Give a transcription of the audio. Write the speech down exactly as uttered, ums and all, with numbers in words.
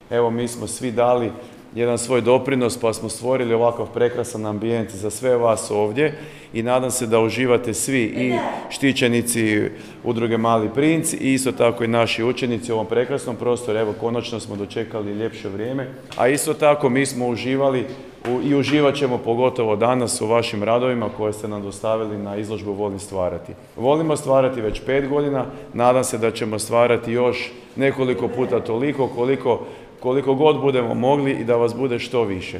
evo mi smo svi dali jedan svoj doprinos pa smo stvorili ovakav prekrasan ambijent za sve vas ovdje i nadam se da uživate svi i štićenici udruge Mali princ i isto tako i naši učenici u ovom prekrasnom prostoru. Evo, konačno smo dočekali ljepše vrijeme, a isto tako mi smo uživali i uživat ćemo pogotovo danas u vašim radovima koje ste nam dostavili na izložbu Volim stvarati. Volimo stvarati već pet godina, nadam se da ćemo stvarati još nekoliko puta toliko koliko, koliko god budemo mogli i da vas bude što više.